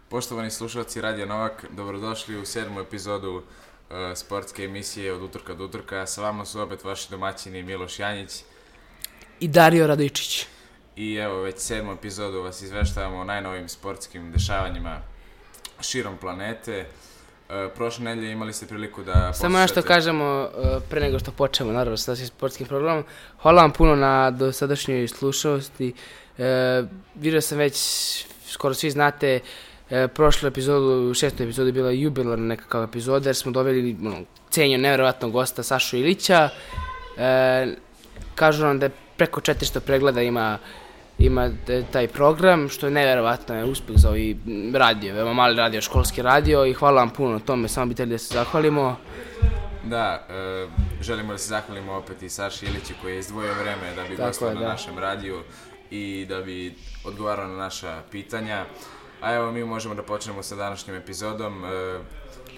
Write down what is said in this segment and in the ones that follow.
Poštovani slušalci Radio Novak, dobrodošli u 7. epizodu sportske emisije Od utorka do utorka. Sa vama su opet vaši domaćini Miloš Janjić i Dario Radojčić. I evo već 7. epizodu vas izveštavamo o najnovim sportskim dešavanjima širom planete. Prošle nedelje imali ste priliku da poslušate... Samo nešto kažemo pre nego što počnemo, naravno, sa našim sportskim programom. Hvala vam puno na dosadašnjoj slušalosti. Vidio sam već, skoro svi znate, prošlu epizodu, 6. epizodu je bila jubilarna nekakav epizoda, jer smo doveli cenjeno nevjerovatnog gosta Sašu Ilića. Kažu nam da je preko 400 pregleda ima taj program, što je nevjerovatno, je uspeh za ovaj radio, veoma mali radio, školski radio, i hvala vam puno na tome, samo bi htjeli da se zahvalimo. Da, želimo da se zahvalimo opet i Saši Iliću koji je izdvojio vreme da bi gostao na našem radiju i da bi odgovarao na naša pitanja. A evo, mi možemo da počnemo sa današnjom epizodom,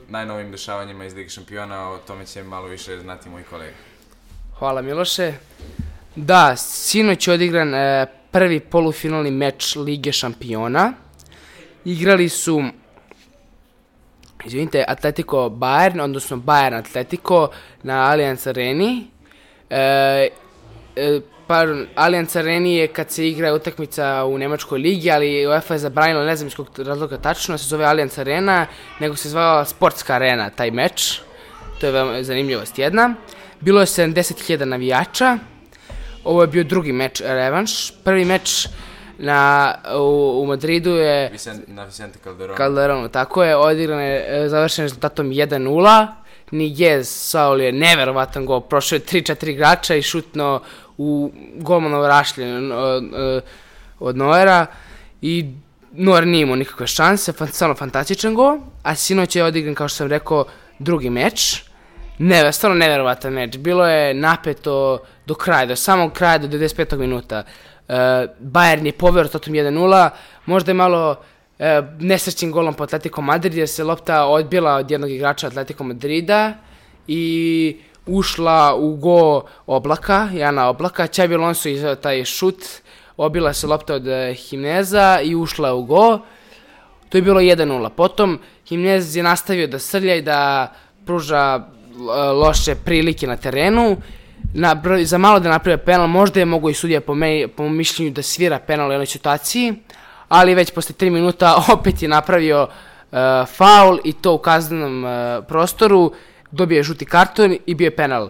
najnovim dešavanjima iz Lige šampiona, o tome će malo više znati moji kolega. Hvala Miloše. Da, sinoć je odigran prvi polufinalni meč Lige šampiona. Igrali su, Atletico Bayern, odnosno Bayern Atletico na Allianz Areni. Allianz Areni je kad se igra utakmica u Nemačkoj ligi, ali UEFA je zabranila, ne znam iz kog razloga tačno, se zove Allianz Arena, nego se zvala Sportska arena taj meč. To je veoma zanimljivost jedna. Bilo je 70.000 navijača. Ovo je bio drugi meč, revanš. Prvi meč u Madridu je... Na Vicente Calderonu, tako je, odigran je, završen rezultatom 1-0. Niguez Saul je neverovatan gol, prošao je 3-4 igrača i šutno u golmanov rašlje od Neuera i Neuer nije imao nikakve šanse, stvarno fantastičan gol, a sinoć je odigran, kao što sam rekao, drugi meč. Stvarno neverovatan meč, bilo je napeto do kraja, do samog kraja, do 95. minuta. Bayern je poveo rezultatom 1-0, možda je malo nesrećnim golom po Atletico Madrid, jer se lopta odbila od jednog igrača Atletico Madrida i ušla u go Jana Oblaka. Xabi Alonso izveo taj šut, obila se lopta od Jimeneza i ušla u go. To je bilo 1-0. Potom Jimenez je nastavio da srlja i da pruža loše prilike na terenu. Za malo da napravio penal, možda je mogo i sudija po mišljenju da svira penal u jednoj situaciji, ali već posle 3 minuta opet je napravio faul i to u kaznenom prostoru, dobio je žuti karton i bio je penal.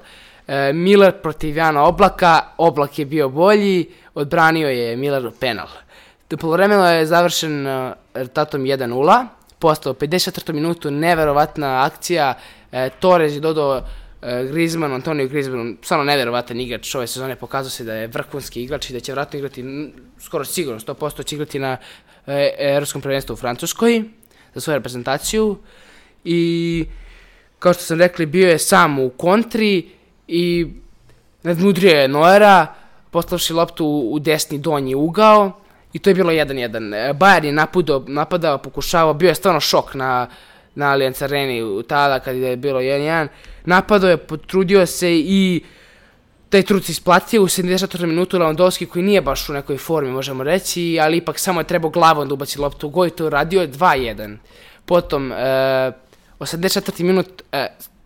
Miller protiv Jana Oblaka, Oblak je bio bolji, odbranio je Miller penal. Poluvremeno je završen rezultatom 1-0, postao 54. minutu, neverovatna akcija, Torres je dodao Antonio Griezmann, stvarno neverovatan igrač ove sezone, pokazao se da je vrhunski igrač i da će vjerojatno igrati, skoro sigurno, 100% će igrati na Evropskom prvenstvu u Francuskoj za svoju reprezentaciju. I kao što sam rekli, bio je sam u kontri i nadmudrio je Neuera, poslavši loptu u desni donji ugao i to je bilo 1-1. Bayern je napadao, pokušavao, bio je stvarno šok na Allianz Areni tada kad je bilo 1-1. Napadao je, potrudio se i taj trud se isplatio. U 74. minutu Lewandowski, koji nije baš u nekoj formi, možemo reći, ali ipak samo je trebao glavom da ubaci loptu u gol i to radio 2-1. Potom, 84. minut,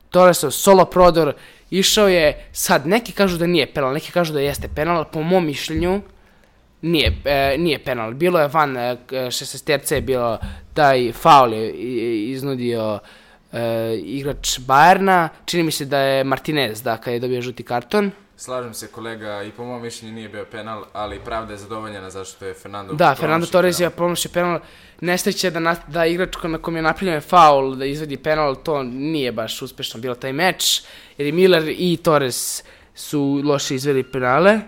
Torresov solo prodor, išao je, sad neki kažu da nije penal, neki kažu da jeste penal, po mom mišljenju nije penal. Bilo je van 16 je bilo taj faul je iznudio igrač Bayerna, čini mi se da je Martinez, kad je dobio žuti karton. Slažem se kolega, i po mom mišljenju nije bio penal, ali pravda je zadovoljena zašto je Fernando Torres je promašio penal. Nesreće da igrač na kom je napravljen faul da izvedi penal, to nije baš uspešno bilo taj meč, jer i Miller i Torres su loše izveli penale.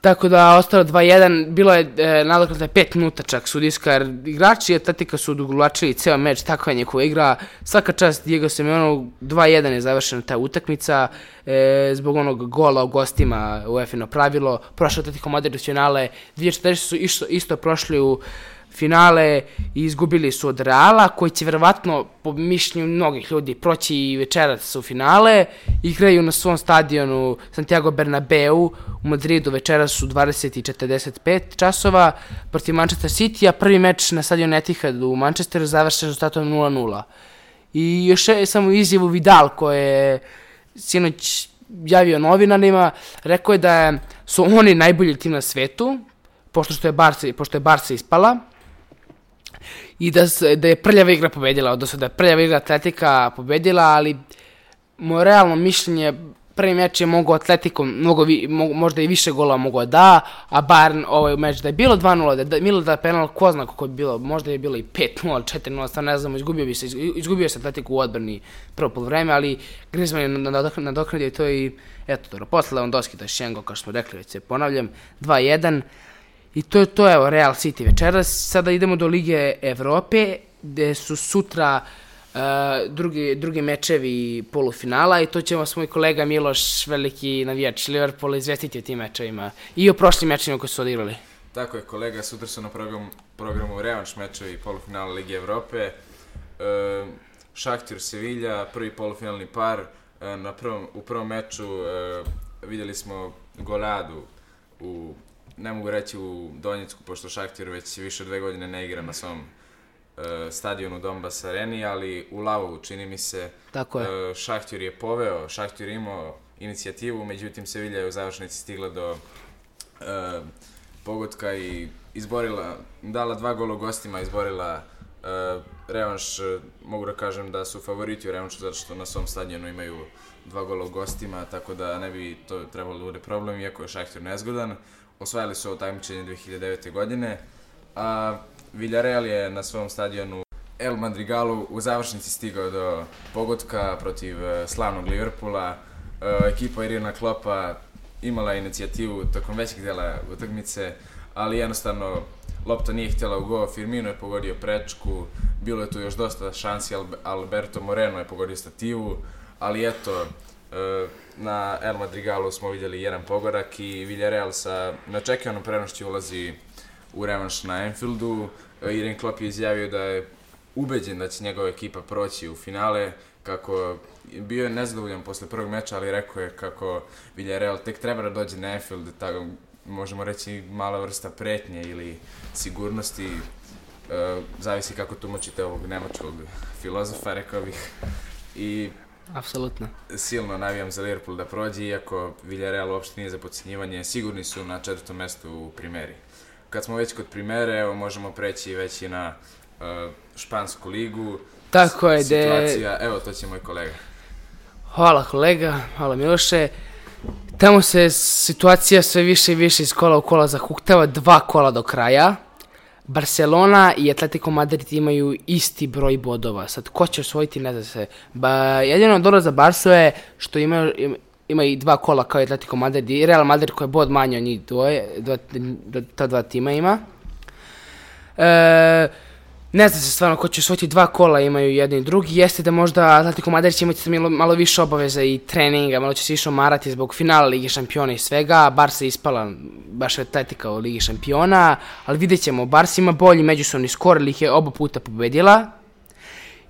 Tako da ostalo 2-1, bilo je nadoknada 5 minuta čak sudijska, jer igrači Atletika su odugovlačili ceo meč, takva je njihova igra. Svaka čast Diego Simeonu, 2-1 je završena ta utakmica, zbog onog gola u gostima UEFA-ino pravilo. Prošlo Atletico Madrid u finale, 2014 su isto prošli u finale i izgubili su od Reala, koji će verovatno, po mišljenju mnogih ljudi, proći i večeras u finale. Igraju na svom stadionu Santiago Bernabeu u Madridu večeras u 20:45 časova protiv Manchester City, a prvi meč na stadionu Etihad u Manchesteru završen rezultatom 0:0. I još je samo izjavu Vidal koji je sinoć javio novinarima, rekao je da su oni najbolji tim na svetu, pošto je Barca ispala, i da je prljava igra pobedila, odnosno da je prljava igra Atletika pobedila, ali moje realno mišljenje, prvi meč je mogao Atletico možda i više gola mogao da, a Bayern ovaj meč da je bilo 2:0, da je bilo da penal, ko zna kako je bilo, možda je bilo i 5:0, 4:0, stvarno ne znamo, izgubio se Atletico u odbrani prvo poluvreme, ali Griezmann je nadoknadio to i eto, dobro, posle Lewandowski, to je Šengo, kao što smo rekli, već se ponavljam, 2:1, i to je to, evo, Real City večeras. Sada idemo do Lige Evrope, gde su sutra drugi mečevi polufinala i to će vas moj kolega Miloš, veliki navijač Liverpoola, izvestiti o tim mečevima i o prošlim mečevima koji su odigrali. Tako je, kolega, sutra su na programu revanš mečevi polufinala Lige Evrope. Šahtir Sevilla, prvi polufinalni par. U prvom meču vidjeli smo goladu ne mogu reći u Donjecku, pošto Šahtir već više od 2 godine ne igra na svom stadionu Donbass Areni, ali u Lavovu, čini mi se. Tako je. Šahtir je poveo, Šahtir je imao inicijativu, međutim Sevilla je u završnici stigla do pogotka i dala 2 gola gostima, izborila revanš. Mogu da kažem da su favoriti u revanšu zato što na svom stadionu imaju 2 gola gostima, tako da ne bi to trebalo da bude problem, iako je Šahtir nezgodan. Osvajali su ovo takmičenje 2009. godine, a Villarreal je na svom stadionu El Madrigalu u završnici stigao do pogotka protiv slavnog Liverpoola. Ekipa Jurgena Kloppa imala inicijativu tokom većeg dela utakmice, ali jednostavno lopta nije htjela u go, Firmino je pogodio prečku, bilo je tu još dosta šansi, Alberto Moreno je pogodio stativu, ali eto, na El Madrigalu smo vidjeli jedan pogodak i Villarreal sa neočekivanom prednošću ulazi u revanš na Anfieldu. Jurgen Klopp je izjavio da je ubeđen da će njegova ekipa proći u finale, kako bio je nezadovoljan posle prvog meča, ali rekao je kako Villarreal tek treba da dođe na Anfield, tako možemo reći mala vrsta pretnje ili sigurnosti, zavisi kako tumačite ovog nemačkog filozofa, rekao bih. I apsolutno. Silno navijam za Liverpool da prođe, iako Villarreal uopšte nije za podcjenjivanje, sigurni su na 4. mestu u Primeri. Kad smo već kod Primere, evo možemo preći već i na špansku ligu. Tako je, situacija, evo to će moj kolega. Hvala kolega, hvala Miloše. Tamo se situacija sve više i više iz kola u kola zahuktava, 2 kola do kraja. Barcelona i Atletico Madrid imaju isti broj bodova. Sad, ko će osvojiti, ne zna se. Jedino dobro za Barsu je što ima i 2 kola kao i Atletico Madrid i Real Madrid koji je bod manje od njih ta 2 tima ima. Ne zna se stvarno ko će osvojiti, 2 kola imaju jedni i drugi. Jeste da možda Atletico Madrid će imati malo više obaveza i treninga, malo će se više omarati zbog finala Lige šampiona i svega. Barca je ispala baš Atletika u Ligi šampiona, ali vidjet ćemo, Barca ima bolji međusobni skor, ali ih je oba puta pobedila.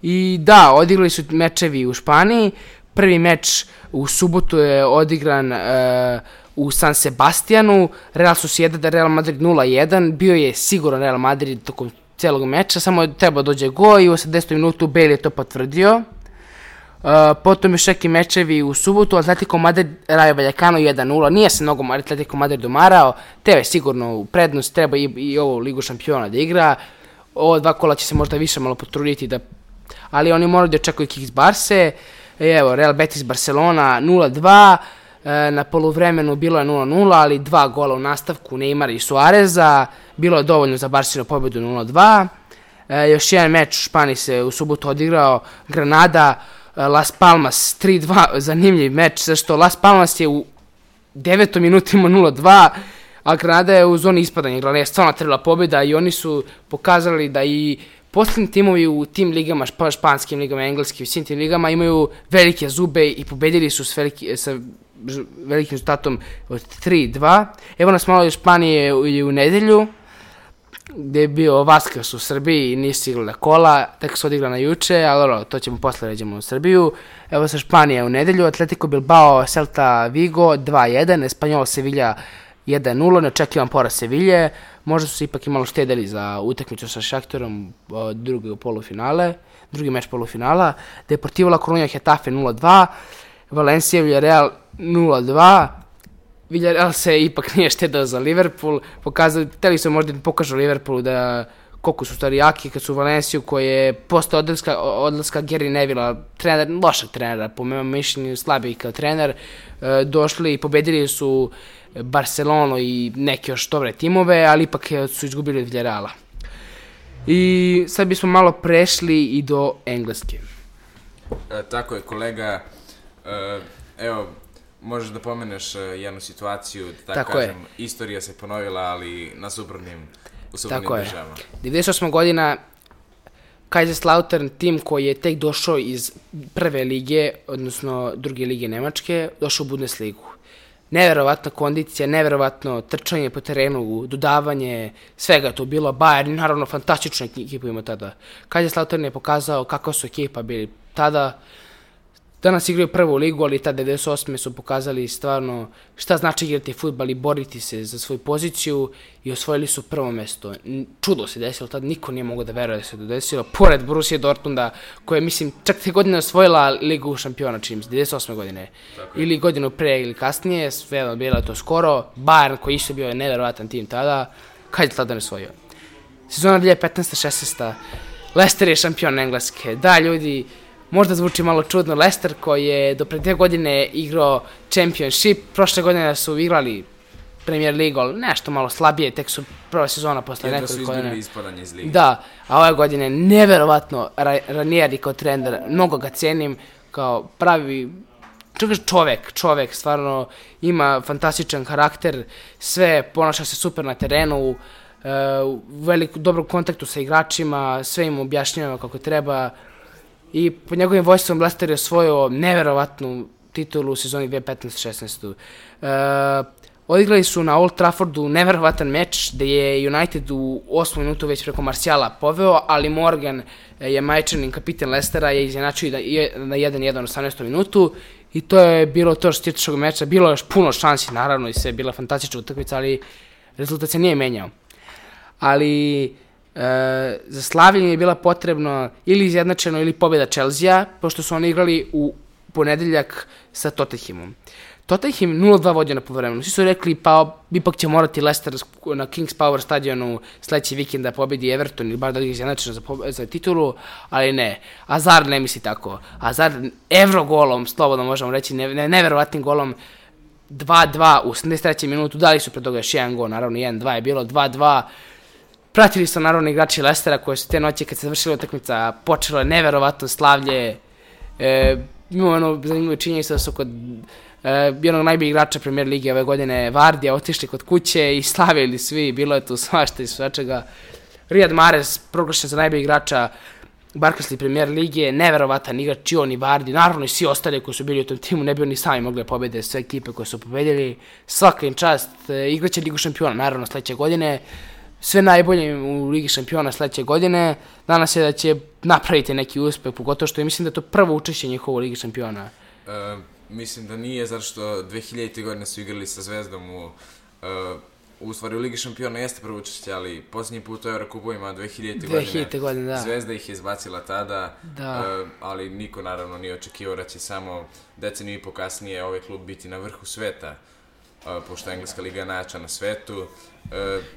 I da, odigrali su mečevi u Španiji. Prvi meč u subotu je odigran u San Sebastianu, Real Sociedad, Real Madrid 0:1, bio je siguran Real Madrid tokom celog meča, samo treba dođe go i u 80. minutu Bale je to potvrdio. Potom još neki mečevi u subotu, Atletico Madrid, Rayo Vallecano 1:0, nije se mnogo Atletico Madrid domarao, tebe sigurno u prednost, treba i ovu Ligu šampiona da igra, ovo 2 kola će se možda više malo potruditi, ali oni moraju da očekuju kick iz Barse. Evo, Real Betis Barcelona 0:2, na poluvremenu bilo je 0:0, ali 2 gola u nastavku Neymara i Suareza, bilo je dovoljno za Barcelonu pobedu 0:2. Još jedan meč u Španiji se u subotu odigrao, Granada Las Palmas 3:2, zanimljiv meč, zašto Las Palmas je u 9. minutu imao 0:2, a Granada je u zoni ispadanja, igrala je stvarno trebala pobjeda i oni su pokazali da i posljednji timovi u tim ligama, španskim ligama, engleskim, u svim tim ligama imaju velike zube i pobedili su sa velikim rezultatom od 3:2. Evo nas malo iz Španije u nedelju. gdje je bio Vasquez u Srbiji i nisu igrali kola, tek su odigrana juče, ali to ćemo posle ređemo u Srbiju. Evo sa Španije u nedelju, Atletico Bilbao, Celta Vigo 2-1, Espanyol Sevilla 1-0, neočekivan poraz Sevilje, možda su se ipak i malo štedeli za utakmicu sa Šaktorom, drugi meč polufinala, Deportivo La Coruña Getafe 0-2, Valencia Villarreal 0-2, Villarreal se ipak nije štedao za Liverpool, hteli su možda pokažu Liverpoolu da koliko su stvari jaki, kad su u Valenciju koji je posle odlaska Gary Nevilla, lošeg trenera, po mojom mišljenju slabiji kao trener, došli i pobedili su Barcelonu i neke još dobre timove, ali ipak su izgubili od Villarreala. I sad bismo malo prešli i do Engleske. Tako je, kolega. Evo, možeš da pomeneš jednu situaciju, da tako kažem, istorija se ponovila, ali na suprotnim državama. 98. godina Kaiserslautern, tim koji je tek došao iz prve lige, odnosno druge lige Nemačke, došao u Bundesligu. Neverovatna kondicija, neverovatno trčanje po terenu, dodavanje, svega to bilo. Bayern, naravno, fantastičnu ekipu ima tada. Kaiserslautern je pokazao kakva su ekipa bili tada. Danas igraju prvu ligu, ali tada 98. su pokazali stvarno šta znači igrati fudbal i boriti se za svoju poziciju i osvojili su prvo mesto. Čudo se desilo, tada niko nije mogao da veruje da se to desilo, pored Borussia Dortmunda, koja je, mislim, čak te godine osvojila ligu šampiona, čini mi se, 98. godine. Ili godinu pre ili kasnije, sve bilo to skoro. Bayern, koji isto bio neverovatan tim tada, kad je tada ne osvojio. Sezona 2015-16. Leicester je šampion Engleske. Da, ljudi, možda zvuči malo čudno, Leicester koji je do pre 2 godine igrao Championship, prošle godine su igrali Premier League, ali nešto malo slabije, tek su prva sezona posle nekoliko godina. Jedno su izgubili ispadanje iz lige. Da, a ove godine neverovatno Ranieri kao trener, mnogo ga cenim, kao pravi čovek, stvarno ima fantastičan karakter, sve ponaša se super na terenu, u dobrom kontaktu sa igračima, sve im objašnjava kako treba. I pod njegovim vojstvom Leicester je osvojio neverovatnu titulu u sezoni 2015-16. Odigrali su na Old Traffordu neverovatan meč gde je United u 8. minutu već preko Marciala poveo, ali Morgan je majčanin kapitan Leicestera je izjednačio na 1-1 u 18. minutu i to je bilo to što se tiče tog meča. Bilo je još puno šansi naravno i sve je bila fantastična utakmica, ali rezultat se nije menjao. Ali za slavljenje je bila potrebno ili izjednačeno ili pobjeda Chelsea, pošto su oni igrali u ponedeljak sa Tottenhamom. Tottenham 0-2 vodio na poluvremenu. Svi su rekli pa ipak će morati Leicester na Kings Power stadionu sledeći vikend da pobedi Everton ili bar da ih izjednačeno za titulu, ali ne. Hazard ne misli tako. Hazard evrogolom, slobodno možemo reći, neverovatnim golom 2-2 u 73. minutu, dali su pre toga još jedan gol, naravno 1-2 je bilo, 2-2. Pratili su naravno igrači Leicestera koji su te noći kad se završila utakmica počelo je neverovatno slavlje. Imamo zanimljivo činjenicu da su kod jednog najboljih igrača Premier Lige ove godine Vardija otišli kod kuće i slavili svi, bilo je tu svašta i svačega. Riyad Mahrez proglašen za najboljih igrača Barclays Premier Lige, neverovatan igrač i on i Vardi, naravno i svi ostali koji su bili u tom timu ne bi oni sami mogli pobede sve ekipe koje su pobedili. Svaka im čast, igraće Ligu šampiona naravno sledeće godine. Sve najbolje u Ligi šampiona sledeće godine. Danas je da će napraviti neki uspeh, pogotovo što mislim da je to prvo učešće njihovo u Ligi šampiona. Mislim da nije, zato što 2000. godine su igrali sa Zvezdom u stvari u Ligi šampiona jeste prvo učešće, ali posljednji put u Eurokupovima 2000. godine da. Zvezda ih je izbacila tada, ali niko naravno nije očekivao da će samo deceniju i po kasnije ovaj klub biti na vrhu sveta, pošto Engleska liga je najjača na svetu.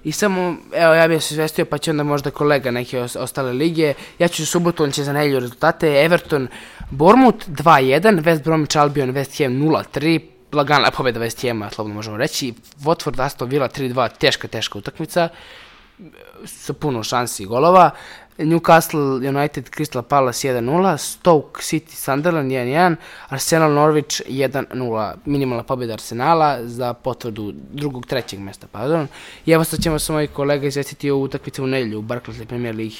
I samo, evo ja bih se izvestio pa će onda možda kolega neke ostale lige. Ja ću subotu, on će za nedelju rezultate. Everton, Bournemouth 2-1, West Bromwich Albion, West Ham 0-3, lagana pobjeda West Hama, slobodno možemo reći. Watford, Aston Villa 3-2, teška utakmica, sa puno šansi i golova. Newcastle United, Crystal Palace 1-0, Stoke City Sunderland 1-1, Arsenal Norwich 1-0, minimalna pobjeda Arsenala za potvrdu trećeg mesta, pardon. I evo sad ćemo sa mojih kolega izvestiti o utakmici u nedelju u Barclays Premier Ligi.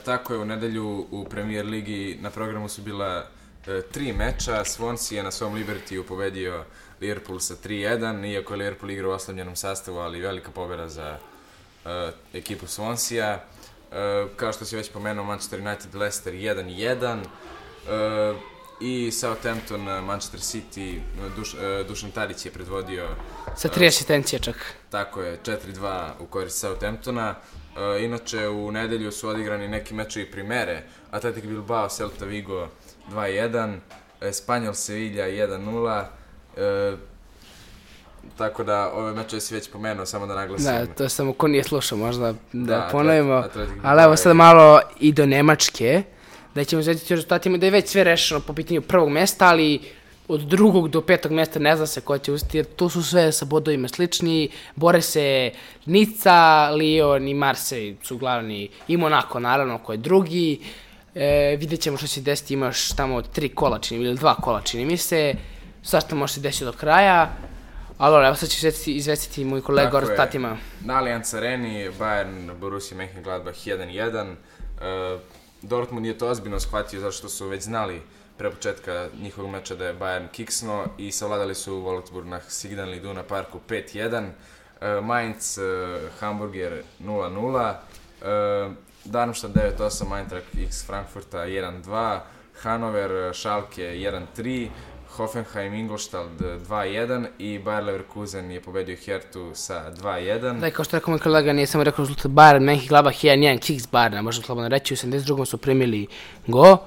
Tako je, u nedelju u Premier Ligi na programu su bila 3 meča. Swansea je na svom Libertiju pobedio Liverpool sa 3-1, iako je Liverpool igrao u oslabljenom sastavu, ali velika pobjeda za ekipu Swansea. Kao što si već pomenuo, Manchester United, Leicester 1-1. I Southampton, Manchester City, Dušan Tadić je predvodio sa 3 asistencije čak. Tako je, 4-2 u korist Southamptona. Inače, u nedelju su odigrani neki mečevi primere. Athletic Bilbao, Celta Vigo 2-1, Espanyol Sevilla 1-0. Tako da, ove mečeve si već pomenuo, samo da naglasim. Da, to samo ko nije slušao možda da ponovimo. Ali evo sad malo i do Nemačke. Da ćemo izvediti rezultatima da je već sve rešeno po pitanju prvog mesta, ali od 2. do 5. mesta ne zna se ko će uspjeti, jer tu su sve sa bodovima slični. Bore se Nica, Lyon i Marseille su glavni, i Monaco naravno koji je drugi. Vidjet ćemo što će desiti, imaš tamo 3 kola ili 2 kola čini mi se. Svašta može se desiti do kraja. Ali evo sad ću izvestiti moj kolega o rezultatima. Na Allianz Areni, Bayern, Borussia Mönchengladbach 1-1. Dortmund je to ozbiljno shvatio zato što su već znali pre početka njihovog meča da je Bayern kiksno i savladali su Wolfsburg na Signal Iduna Parku 5-1. Mainz, Hamburger 0-0. Darmstadt 9-8, Eintracht X Frankfurta 1-2. Hannover, Schalke 1-3. Hoffenheim, Ingolstadt 2-1 i Bayer Leverkusen je pobedio Hertu sa 2-1. Da, kao što rekao moj kolega, nije samo rekao rezultat Bayern, Mönchengladbach 1-1, Kiks Bayern, možda slobodno reći, u 72. su primili go.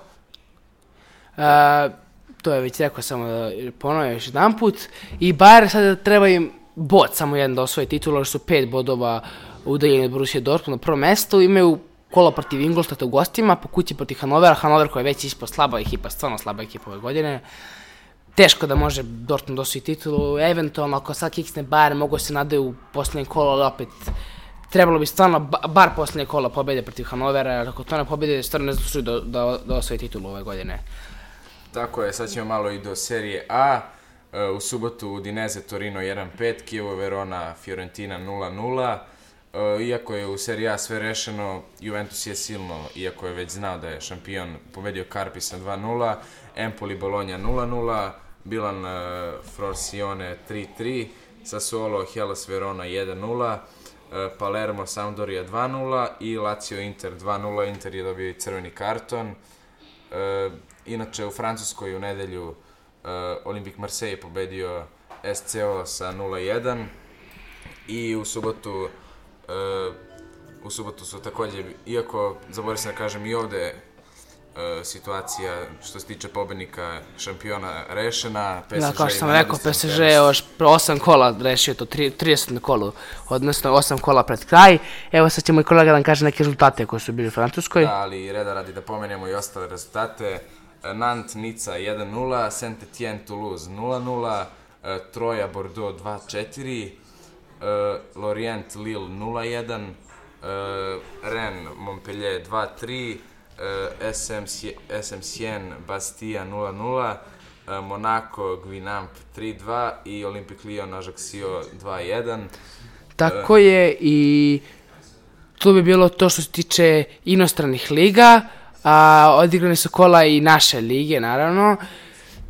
To je već rekao, samo da ponovim još jedan put. I Bayern sada treba im bod, samo jedan da osvoje titulu, jer su 5 bodova udaljeni od Borussia Dortmund na prvom mestu, imaju kolo protiv Ingolstadta u gostima, po kući protiv Hannovera, Hannover koja je već ispod slaba ekipa, stvarno slaba ekipa ove godine. Teško da može Dortmund osvoji titulu, eventualno ako sad kiksne Bayern mogu se nadaju u posljednje kolo, ali opet trebalo bi stvarno bar posljednje kolo pobjede protiv Hannovera, jer ako to ne pobjede, stvarno ne zaslužuju da osvoji titulu ove godine. Tako je, sad ćemo malo i do serije A. U subotu Udinese Torino 1-5, Chievo Verona Fiorentina 0-0. Iako je u seriji A sve rešeno, Juventus je silno, iako je već znao da je šampion, pobedio Carpisa 2-0, Empoli Bologna 0-0, Milan Frosinone 3-3, Sassuolo Hellas Verona 1-0, Palermo Sampdoria 2-0 i Lazio Inter 2-0, Inter je dobio i crveni karton. Inače u Francuskoj u nedelju Olympique Marseille je pobedio SCO sa 0-1 i u subotu su također, iako zaboravio sam da kažem i ovde situacija što se tiče pobednika šampiona rešena. PSG da, kao što sam rekao, PSG je još 8 kola rešio to, 30 na kolu, odnosno 8 kola pred kraj. Evo sad će moj kolega da nam kaže neke rezultate koji su bili u Francuskoj. Da, ali reda radi da pomenemo i ostale rezultate. Nantes Nica 1-0, Saint-Étienne Toulouse 0-0, Troja Bordeaux 2-4, Lorient Lille 0-1, Rennes Montpellier 2-3, SM Sienne Bastia 0-0, Monaco Guingamp 3-2 i Olympique Lyon Ajaccio 2-1. Tako je, i to bi bilo to što se tiče inostranih liga, a odigrane su kola i naše lige, naravno,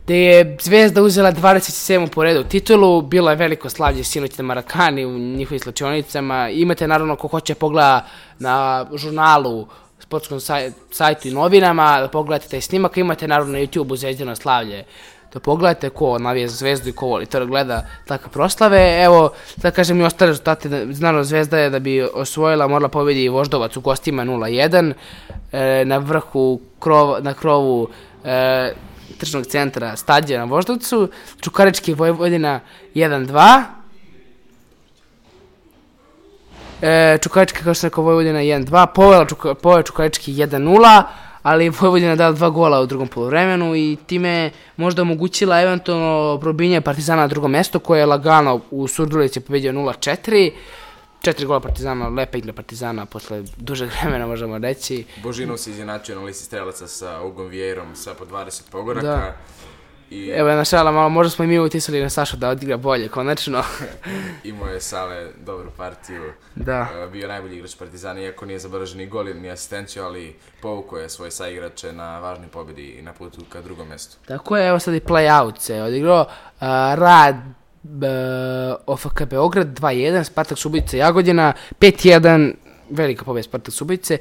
gde je Zvezda uzela 27. po redu titulu, bilo je veliko slavlje sinoć na Marakani u njihovim slačionicama. Imate naravno ko hoće pogleda na žurnalu, sportskom sajtu i novinama, da pogledate taj snimak, imate naravno na YouTube-u Zvezdino slavlje, da pogledate ko navija za Zvezdu i ko voli to da gleda takve proslave. Evo, da kažem i ostale rezultate, naravno Zvezda je da bi osvojila morala pobedi Voždovac u gostima 0-1, na vrhu na krovu tržnog centra stadiona na Voždovcu, Čukarički Vojvodina 1-2, Čukarički, kao što rekao, Vojvodina 1-2, poveo Čukarički 1-0, ali Vojvodina dala 2 gola u drugom poluvremenu i time možda omogućila eventualno probijanje Partizana na drugo mesto, koje je lagano u Surdulici pobedio 0-4. 4 gola Partizana, lepa igra Partizana posle dužeg vremena, možemo reći. Božinov se izjednačio na listi strelaca sa Ugom Vieirom sa po 20 pogoraka. Da. Evo jedna šala, malo možda smo i mi utisali na Sašu da odigra bolje, konačno. Imao je Sale dobru partiju. Da. Bio najbolji igrač Partizana, iako nije zabeležen ni gol ni asistenciju, ali povukao je svoje saigrače na važnoj pobjedi i na putu ka drugom mjestu. Tako je, evo sad i play-out se odigrao. Rad OFK Beograd 2-1, Spartak Subotica Jagodina 5-1, velika pobjeda Spartak Subotice,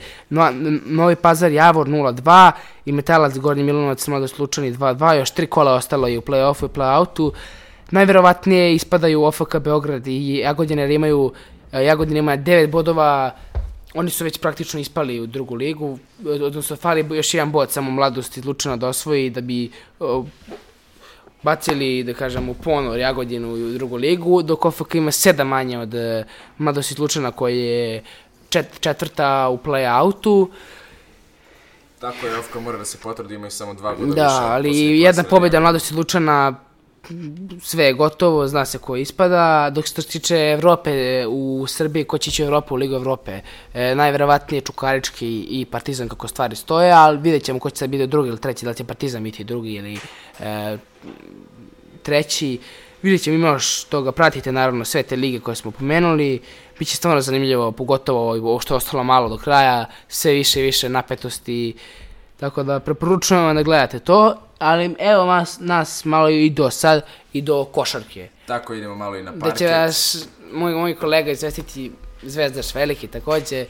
Novi Pazar Javor 0-2 i Metalac Gornji Milanovac Mladost Lučani 2-2, još 3 kola ostalo je u play-offu i play-outu. Najverovatnije ispadaju OFK Beograd i Jagodina, jer Jagodina ima 9 bodova, oni su već praktično ispali u drugu ligu, odnosno fali još jedan bod samo Mladost iz Lučana da osvoji da bi bacili, da kažem, u ponor Jagodinu u drugu ligu, dok OFK ima 7 manje od Mladost iz Lučana koji je četvrta u play-outu. Tako je, OFK mora da se potvrdi, imaju samo 2 boda više. Da, ali jedna pobjeda Mladost iz Lučana, sve je gotovo, zna se ko ispada, dok se to tiče Evrope u Srbiji, ko će ići u Evropu, u Ligu Evrope, najverovatnije Čukarički i Partizan kako stvari stoje, ali vidjet ćemo ko će sad biti drugi ili treći, da li će Partizan biti drugi ili treći, vidjet ćemo, ima još toga, pratite naravno sve te lige koje smo pomenuli, bit će stvarno zanimljivo, pogotovo ovo što je ostalo malo do kraja, sve više i više napetosti, tako da preporučujem vam da gledate to. Ali evo nas malo i do sad, i do košarke. Tako, idemo malo i na parket. Da će vas moj kolega izvestiti, Zvezdaš veliki također,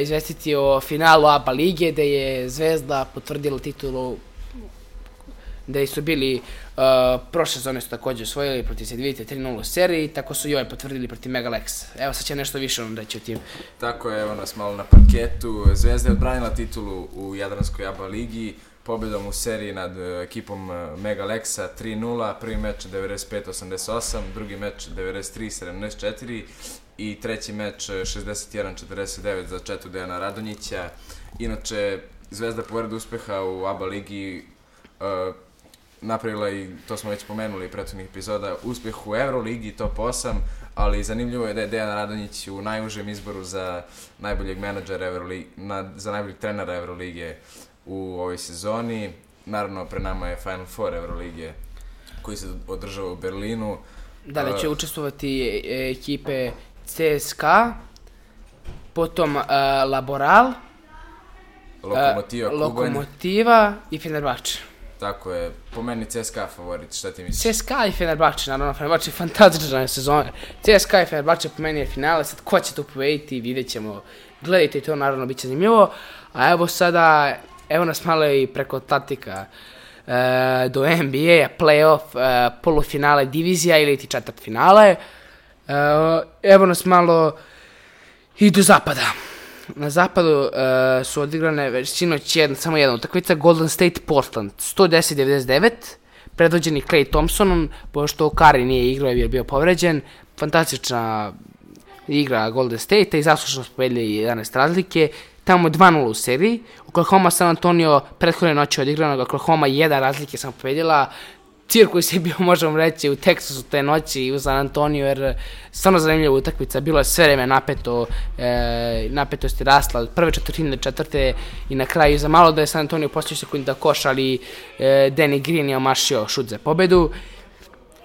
izvestiti o finalu ABA lige, gde je Zvezda potvrdila titulu, gde su bili, prošle sezone su također osvojili protiv Cedevite 3-0 u seriji, tako su i ovaj potvrdili protiv Megalexa. Evo sad će nešto više on reći o tim. Tako je, evo nas malo na parketu. Zvezda je odbranila titulu u Jadranskoj ABA ligi, pobjedom u seriji nad ekipom Megalexa 3-0, prvi meč 95-88, drugi meč 93-74 i treći meč 61-49 za četu Dejana Radonjića. Inače, Zvezda pored uspeha u ABA ligi napravila i, to smo već pomenuli prethodnih epizoda, uspjeh u Euroligi, top 8, ali zanimljivo je da je Dejan Radonjić u najužem izboru za najboljeg menadžera za najboljeg trenera Euroligije u ovoj sezoni. Naravno, pre nama je Final Four Euroligije koji se održava u Berlinu. Da li će učestvovati ekipe CSKA, potom Laboral, Lokomotiva i Fenerbahče. Tako je, po meni CSKA favorit, šta ti misliš? CSKA i Fenerbahče, naravno, Fenerbahče je fantastična sezona. CSKA i Fenerbahče po meni je finale, sad ko će to pobediti, vidjet ćemo. Gledajte to, naravno, bit će zanimljivo. A evo sada, evo nas malo i preko tatika do NBA, play-off, polufinale divizija ili ti četvrtfinale. Evo nas malo i do zapada. Na zapadu su odigrane već sinoć samo jedna utakmica, Golden State Portland 110-99, predvođeni Klay Thompsonom, pošto Curry nije igrao jer je bio povređen. Fantastična igra Golden State i zaslužno smo pobedili 11 razlike. Tamo 2-0 u seriji. Oklahoma San Antonio prethodne noći odigranog, Oklahoma 1 razlike sam pobedila. Cirkus je bio, možemo reći, u Teksasu te noći i u San Antonio, jer stvarno zanimljiva utakmica, bilo je sve vreme napeto, napetost je rasla od prve četvrtine do četvrte i na kraju za malo da je San Antonio poslije sekundi da koš, ali Danny Green je omašio šut za pobedu.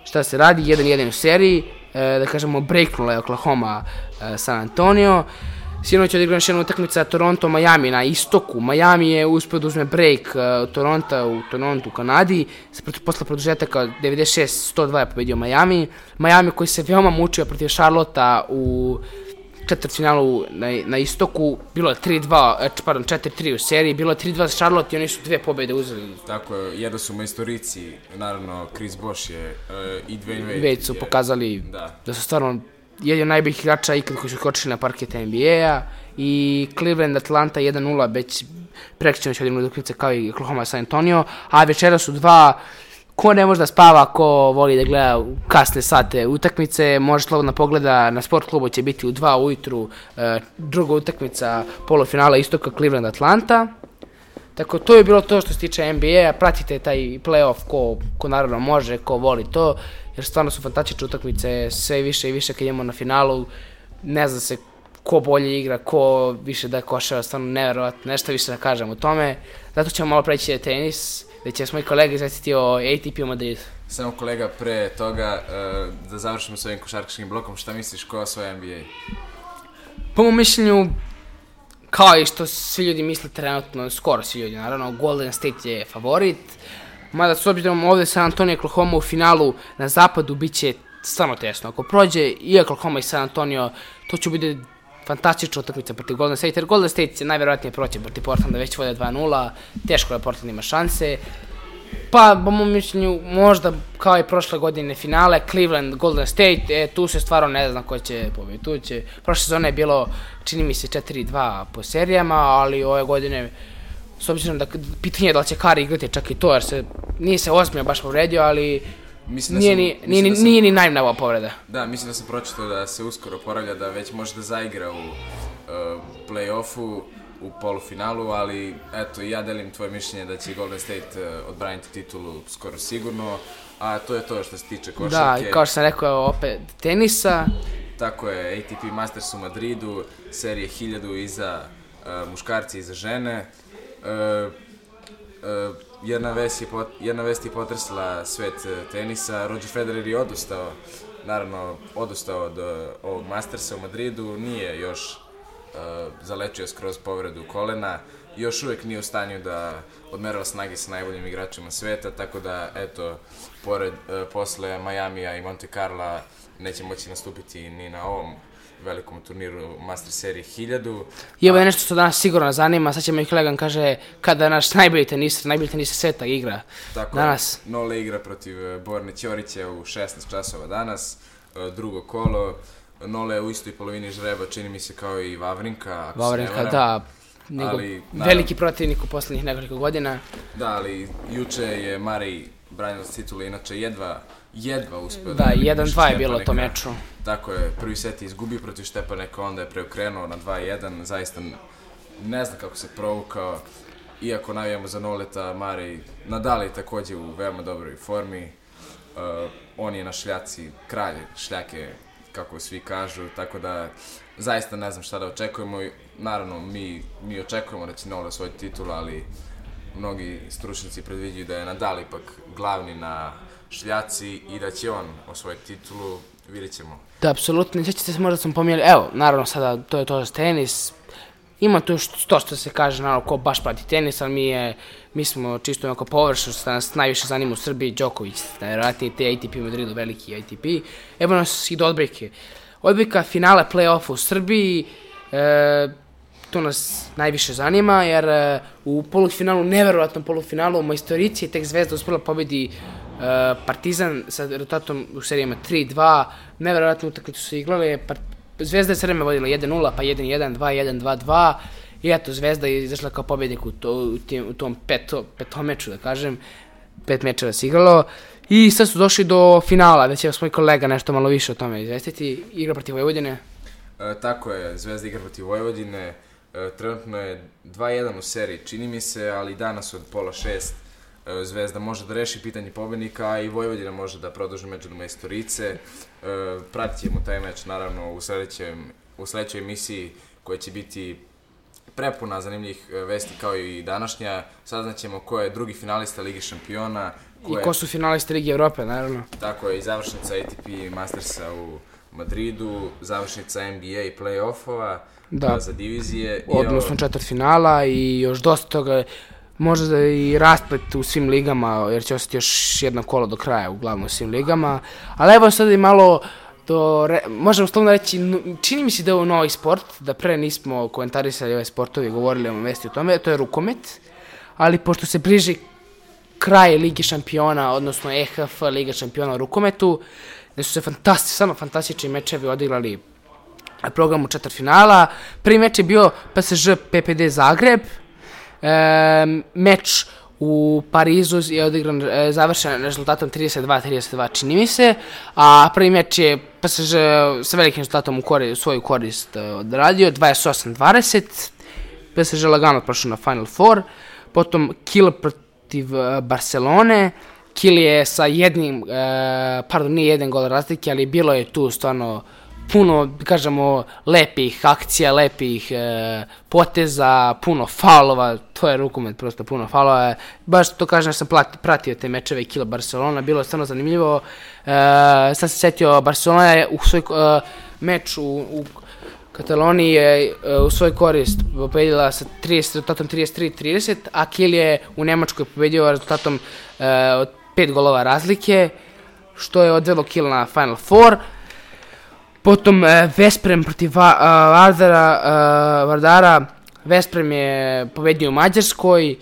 Šta se radi? 1-1 u seriji, da kažemo breaknula je Oklahoma San Antonio. Sinoć je odigrana još jedna utakmica Toronto-Miami na istoku. Miami je uspio da uzme break Toronto u Toronto u Kanadi. Posle produžetaka 96-102 je pobedio Miami. Miami koji se veoma mučio protiv Charlotta u četvrtfinalu na istoku. Bilo je 4-3 u seriji. Bilo je 3-2 za Charlotte i oni su 2 pobjede uzeli. Tako je, jedno su majstorici. Naravno, Chris Bosh je i Dwayne Wade su pokazali da su stvarno jedan od najboljih igrača ikad koji su skočili na parket NBA-a i Cleveland Atlanta 1-0 već prekričeno će odigrati utakmice kao i Oklahoma San Antonio, a večera su 2, ko ne može da spava, ko voli da gleda u kasne sate utakmice, može slobodno pogleda, na sport klubu će biti u 2 ujutru druga utakmica polufinala istoka Cleveland Atlanta. Tako, to je bilo to što se tiče NBA-a, pratite taj play-off ko naravno može, ko voli to, jer stvarno su fantastične utakmice, sve više i više kad idemo na finalu, ne zna se ko bolje igra, ko više da košava, stvarno nevjerovatno, nešto više da kažem o tome, zato ćemo malo preći na tenis, gdje će moji kolege izvestiti o ATP u Madridu. Samo kolega, pre toga, da završimo s ovim košarkaškim blokom, šta misliš ko osvaja NBA? Po mom mišljenju, kao i što svi ljudi misle trenutno, skoro svi ljudi naravno, Golden State je favorit, Mada s obzirom ovdje San Antonio i Oklahoma u finalu na zapadu bit će stvarno tesno. Ako prođe i Oklahoma i San Antonio, to će biti fantastična utakmica protiv Golden State, jer Golden State će najvjerojatnije proći protiv Portlanda, već vode 2-0, teško da Portland ima šanse. Pa, po mom mišljenju, možda kao i prošle godine finale, Cleveland, Golden State, tu se stvarno ne zna ko će pobediti. Prošle sezone je bilo, čini mi se, 4-2 po serijama, ali ove godine, s obzirom da pitanje je da li će Curry igrati čak i to, jer nije se ozbiljno baš povredio, ali nije ni najmnava povreda. Da, mislim da sam pročitao da se uskoro oporavlja, da već može da zaigra u play-offu, u polufinalu, ali eto, ja delim tvoje mišljenje da će Golden State odbraniti titulu skoro sigurno, a to je to što se tiče košarke. Da, kao što sam rekao, opet tenisa. Tako je, ATP Masters u Madridu, serije 1000 i za muškarci i za žene. Jedna vest je potresla svet tenisa, Roger Federer je odustao od ovog Mastersa u Madridu, nije još zalečio skroz povredu kolena, još uvijek nije u stanju da odmerava snage sa najboljim igračima sveta, tako da, eto, posle Majamija i Monte Carla neće moći nastupiti ni na ovom velikom turniru Master serije 1000. I ovo je nešto što danas sigurno zanima, sad će moj kolega kaže kada naš najbolji teniser sveta igra tako danas. Nole igra protiv Borne Ćorića u 16 časova danas, drugo kolo. Nole je u istoj polovini žreba, čini mi se kao i Vavrinka, ako se ne varam. Da, veliki protivnik u posljednjih nekoliko godina. Da, ali juče je Murray branilac titule, inače jedva uspeo da 1-2 je bilo to meču. Tako je, prvi set je izgubio protiv Štepaneka, onda je preokrenuo na 2-1, zaista ne znam kako se provukao, iako navijamo za Noleta, Murray, Nadal je također u veoma dobroj formi, on je na šljaci, kralj šljake, kako svi kažu, tako da zaista ne znam šta da očekujemo. Naravno, mi očekujemo da će Nole osvojiti titulu, ali mnogi stručnjaci predviđaju da je Nadal ipak glavni na šljaci i da će on osvojiti titulu, vidjet ćemo. Da, apsolutno, sjećate se, možda sam pomijeli, evo, naravno sada to je to za tenis, ima tu to što se kaže, naravno, ko baš prati tenis, ali mi smo čisto onako površno, što nas najviše zanima u Srbiji, Đoković, najvjerojatnije te ATP u Madridu, veliki ATP. Evo nas i do odbojke. Odbojka finale play-offa u Srbiji, to nas najviše zanima, jer u polufinalu, neverovatnom polufinalu, Majstorici je tek Zvezda uspjela pobedi Partizan sa rezultatom u serijama 3-2, neverovatnu utakmicu su igrali, Zvezda je sve vreme vodila 1-0, pa 1-1, 2-1, 2-2 i eto, Zvezda je izašla kao pobjednik u tom petom meču, da kažem, 5 mečeva se igralo i sad su došli do finala, da će vas moj kolega nešto malo više o tome izvestiti, igra protiv Vojvodine. Tako je, Zvezda igra protiv Vojvodine, trenutno je 2-1 u seriji, čini mi se, ali danas od 5:30 Zvezda može da reši pitanje pobednika i Vojvodina može da produži meč do Majstorice. Pratit ćemo taj meč naravno u sljedećoj emisiji koja će biti prepuna zanimljivih vesti kao i današnja. Saznaćemo ko je drugi finalista Lige šampiona. I ko su finalisti Lige Evrope, naravno. Tako je, i završnica ATP Mastersa u Madridu, završnica NBA i play-offova za divizije. Odnosno četvrtfinala i još dosta toga. Možda i rasplet u svim ligama, jer će ostati još jedno kolo do kraja, uglavnom u svim ligama. Ali evo sad i malo, možemo slovno reći, čini mi se da je ovo novi sport, da pre nismo komentarisali ove sportovi, govorili o vesti o tome, to je rukomet. Ali pošto se bliži kraj Lige šampiona, odnosno EHF Liga šampiona u rukometu, gdje su se samo fantastični mečevi odigrali na programu četvrtfinala. Prvi meč je bio PSG PPD Zagreb. Meč u Parizu je odigran, završen rezultatom 32-32, čini mi se, a prvi meč je PSG sa velikim rezultatom u svoju korist odradio, 28-20, PSG lagano prošao na Final Four, potom Kiel protiv Barcelone, Kiel je sa nije jedan gol razlike, ali bilo je tu stvarno puno, kažemo, lepih akcija, lepih poteza, puno faulova, to je rukomet, prosto puno faulova. Baš to kažem, sam pratio te mečeve Kiel Barcelona, bilo je stvarno zanimljivo. Sad se setio, Barcelona je u svoj meč Kataloniji je u svoj korist pobedila sa rezultatom 33-30, a Kiel je u Nemačkoj pobedio rezultatom od 5 golova razlike, što je odvelo Kiel na Final Four. Potom Vesprem protiv Vardara. Vesprem je pobedio u Mađarskoj,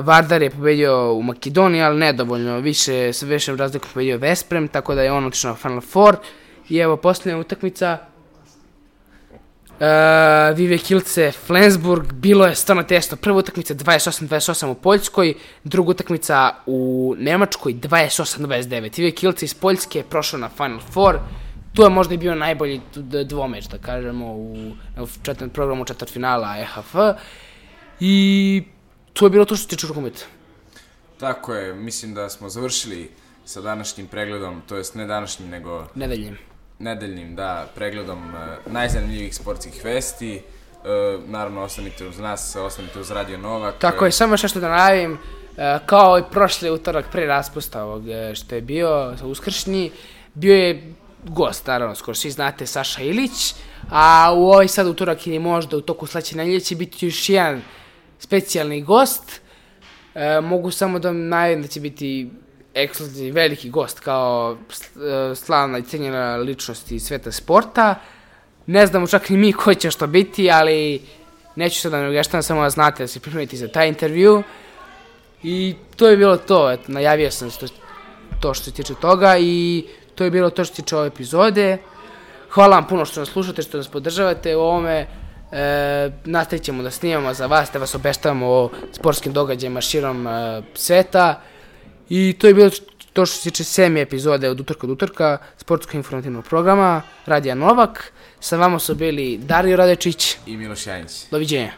Vardar je pobedio u Makedoniji, ali nedovoljno, više sa većom razlikom pobedio Vesprem, tako da je on otišao na Final Four. I evo posljednja utakmica, Vive Kielce, Flensburg, bilo je stvarno tesno. Prva utakmica 28-28 u Poljskoj, druga utakmica u Nemačkoj 28-29. Vive Kielce iz Poljske je prošao na Final Four. Tu je možda i bio najbolji dvomeč, da kažemo, u programu četvrtfinala EHF. I to je bilo to što se tiče rukometa. Tako je, mislim da smo završili sa današnjim pregledom, to jest ne današnjim, nego nedeljnim, da, pregledom najzanimljivijih sportskih vesti. Naravno, ostanite uz nas, ostanite uz Radio Novak. Tako je, samo što da najavim, kao i prošli utorak pre raspusta ovog što je bio uskršnji, bio je gost, naravno, skoro svi znate, Saša Ilić, a u ovaj sad utorak ili možda u toku sledeće nedelje će biti još jedan specijalni gost. Mogu samo da najavim da će biti ekskluzivni veliki gost kao slavna i cenjena ličnost iz sveta sporta. Ne znamo čak ni mi ko će što biti, ali neću sad da ne ugeštavam, samo da znate da se pripremite za taj intervju. I to je bilo to, eto, najavio sam to što se tiče toga i to je bilo to što se tiče ove epizode. Hvala vam puno što nas slušate, što nas podržavate u ovome. Nastavit ćemo da snimamo za vas, da vas obeštavamo o sportskim događajima širom sveta. I to je bilo to što se tiče 7. epizode od utorka do utorka sportsko-informativnog programa Radija Novak. Sa vama su bili Dario Radečić i Miloš Janić. Doviđenja.